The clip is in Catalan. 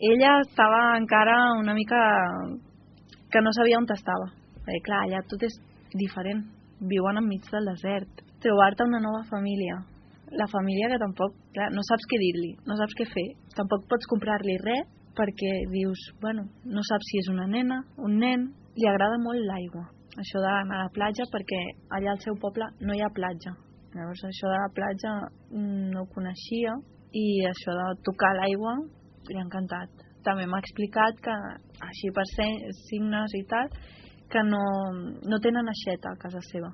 ella estava encara una mica que no sabia on estava. Perquè clar, allà tot és diferent. Viuen enmig del desert. Trobar-te una nova família. La família que tampoc, clar, no saps què dir-li, no saps què fer. Tampoc pots comprar-li res perquè dius, bueno, no saps si és una nena, un nen. Li agrada molt l'aigua. Això d'anar a la platja perquè allà al seu poble no hi ha platja. Llavors això de la platja no ho coneixia i això de tocar l'aigua li ha encantat. També m'ha explicat que així per ser signes i tal que no tenen aixeta a casa seva.